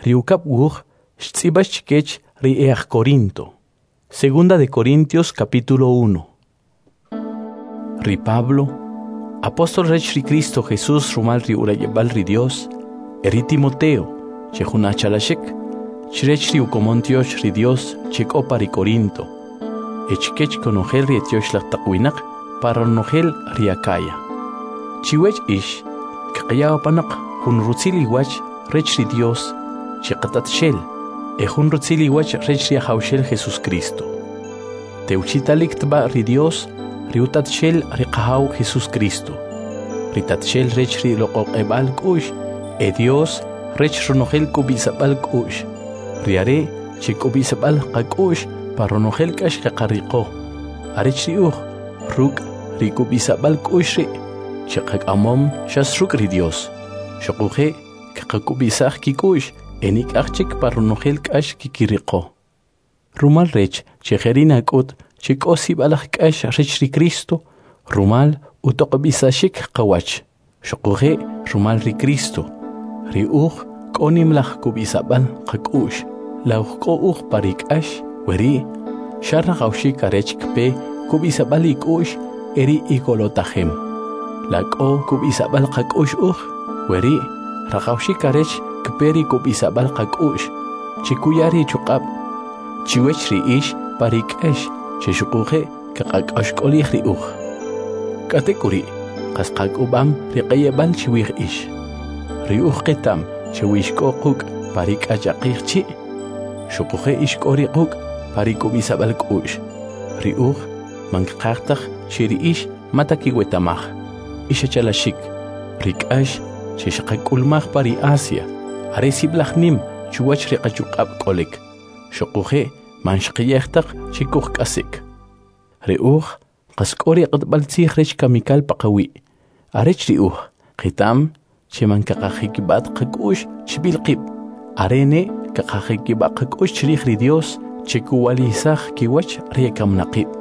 Ri ukab' wuj xtz'ib'ax chkech ri e'aj Corinto. Segunda de Corintios capítulo 1. Ri Pablo, apóstol rech ri Cristo Jesús rumal ri urayib'al ri Dios, e ri Timoteo, che jun achalaxik, chrech ri ukomon tyox ri Dios che k'o pa ri Corinto, e chkech konojel ri etyoxlaj taq winaq pa ronojel ri Acaya. Chiwech ix, kqaya apanoq jun rutzil iwach rech ri Dios che qatatxel, e jun rutzil iwach rech ri Ajawxel Jesús Cristo. Tewchitalik tb'a ri Dios, ri utatxel ri Qajaw Jesús Cristo, ri tatxel rech ri loq'oq'eb'al k'u'x, e Dios rech ronojel k'ub'isab'al k'u'x, ri are' che k'ub'isab'al qak'u'x pa ronojel k'ax qaqariqo, arech ri uj ruk' ri k'ub'isab'al k'u'x ri' che qak'amom xas ruk' ri Dios, xuquje' kqak'ub'isaj kik'u'x e nik'aj chik pa ronojel k'ax kikiriqo. Rumal rech che jeri' nak'ut che k'o sib'alaj k'ax rech ri Cristo, rumal utoq'ob'isaxik qawach, xuquje' rumal ri Cristo, ri uj k'o nimlaj kub'isab'al qak'u'x, la uj k'o uj pa ri k'ax, weri' xa rajawxik arech kpe kub'isab'al ik'u'x e ri ikolotajem. La k'o kub'isab'al qak'u'x uj, weri' rajawxik arech kpe ri kub'isab'al qak'u'x, chikuya ri chuq'ab' chiwech ri ix pa ri k'ax che xuquje' kqak'axk'olij ri uj. K'atek'uri', qas qak'ub'am ri q'eyeb'al chiwij ix. Ri uj qetam che wi ix k'o quk' pa ri k'achaqij chi', xuquje' ix k'o ri quk' pa ri k'ub'isab'al k'u'x. Ri uj man kqaj taj che ri ix mata kiwetamaj. Ix achalaxik, ri k'ax che xqak'ulmaj pa ri Asia, are sib'alaj nim chuwach ri qachuq'ab' k'olik, xuquje' man xqiyej taq che kujk'asik. Ri uj qas k'o ri q'atb'al tzij rech kamikal paqawi', arech ri uj qetam che man kaqajikib'at qak'u'x chib'il qib', are ne kaqajikib'a qak'u'x chrij ri Dios che kuwalisaj kiwach ri ekamnaqib'.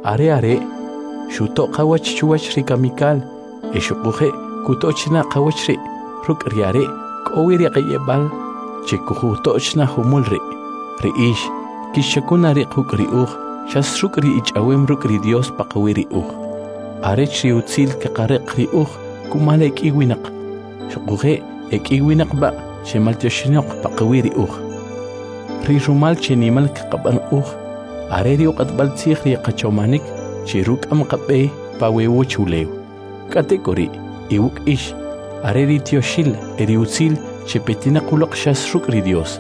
Are are' xuto' qawach chuwach ri kamikal e xuquje' kuto'chna qawach ri' ruk' ri are' k'o wi ri qeyeb'al che kujuto'chna jumul ri'. Ri ix kixchakuna ri' quk' ri uj xas ruk' ri ich'awem ruk' ri Dios paqawi' ri uj. Arech ri utzil kaqariq ri uj kumal ek'i winaq, xuquje' ek'i winaq b'a che maltyoxinoq paqawi' ri uj. Ri rumal che nimal kaqab'an uj, are ri uq'atb'al tzij ri qachomanik che ruk'am qab'e pa we uwachulew. K'atek'uri' iwuk' ix, are ri tyoxil e ri utzil che petinaq uloq xas ruk' ri Dios,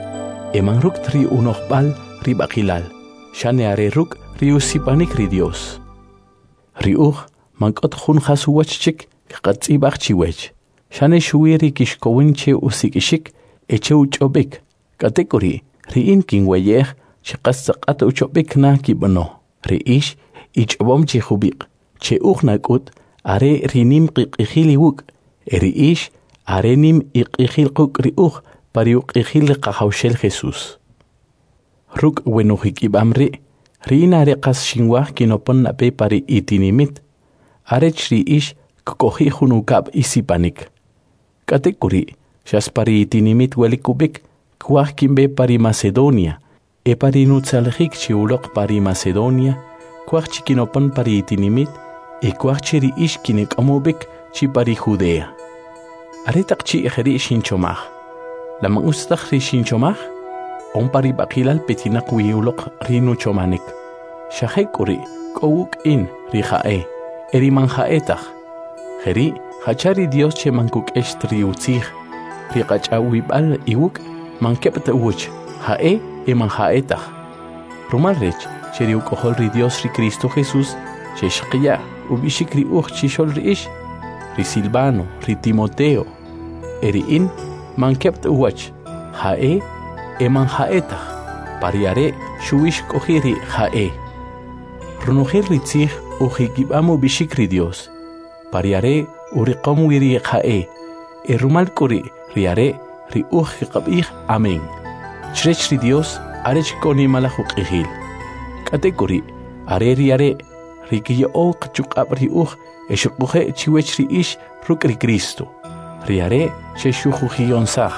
e man ruk' ta ri unojb'al ri b'aqilal, xane are ruk' ri usipanik ri Dios. Ri uj man k'ot jun jas uwach chik kqatz'ib'aj chiwech, xane xuwi ri kixkowin che usik'ixik e che uch'ob'ik. K'atek'uri', ri in kinweyej che qas tz'aqat uch'ob'ik na kib'ano. Ri ix ich'ob'om chi jub'iq', che uj nak'ut are ri nim qiq'ijil iwuk', e ri ix are nim iq'ijil quk' ri uj pa ri uq'ijil ri Qajawxel Jesús. Ruk' we nujikib'am ri', ri in are qas xinwaj kinopon nab'e pa ri itinimit, arech ri ix kk'oji' jun ukab' isipanik. K'atek'uri', xas pa ri itinimit welik ub'ik, kwaj kinb'e pa ri Macedonia, e pa ri nutzalijik chi uloq pa ri Macedonia, kwaj chi kinopon pa ri itinimit, e kwaj che ri ix kinik'am ub'ik chi pa ri Judea. Are taq chi' jeri' xinchomaj, la man utz taj ri xinchomaj? On pa ri b'aqilal petinaq wi uloq ri nuchomanik. Xa jek'uri' k'o wuk' in ri ja'e, e ri man ja'e taj. Jeri' jacha ri Dios che man kuk'ex ta ri utzij, ri qach'awib'al iwuk' man keb' ta uwach, ja'e e man ja'e taj. Rumal rech che ri uk'ojol ri Dios ri Cristo Jesús che xqaya ub'ixik ri uj chixol ri ix, ri Silvano, ri Timoteo, e ri in man keb' ta uwach, ja'e e man ja'e taj, pa ri are' xuwi xk'oji' ri ja'e. Ronojel ri tzij ujikib'am ub'ixik ri Dios, pa ri are' uriqom wi ri ja'e, e rumal k'u ri' ri are' ri uj kqab'ij amén. Chrech ri Dios arech k'o nimalaj uq'ijil. K'atek'uri', are ri are' ri kiya'ow qachuq'ab' ri uj e xuquje' chiwech ri ix ruk' ri Cristo. Ri are' che xujujiyonsaj,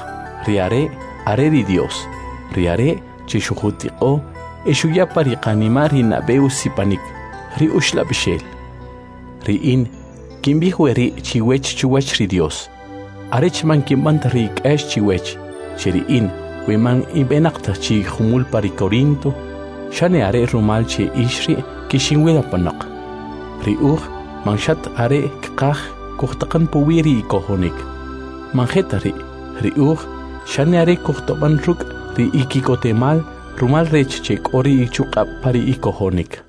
ri are' are ri Dios, ri Are' che xujutiq'o e xuya pa ri qanima' ri nab'e usipanik, ri Uxlab'ixel. Ri in kinb'ij weri' chiwech chuwach ri Dios, arech man kinb'an ta ri k'ax chiwech, che ri in we man inb'enaq ta chi jumul pa ri Corinto, xane are rumal che ix ri' kixinwil apanoq. Ri uj man xat are kqaj kujtaqan puwi' ri ikojonik. Man je ta ri', ri uj xane are kujtob'an ruk' ri iki'kotemal rumal rech che k'o ri ichuq'ab' pa ri ikojonik.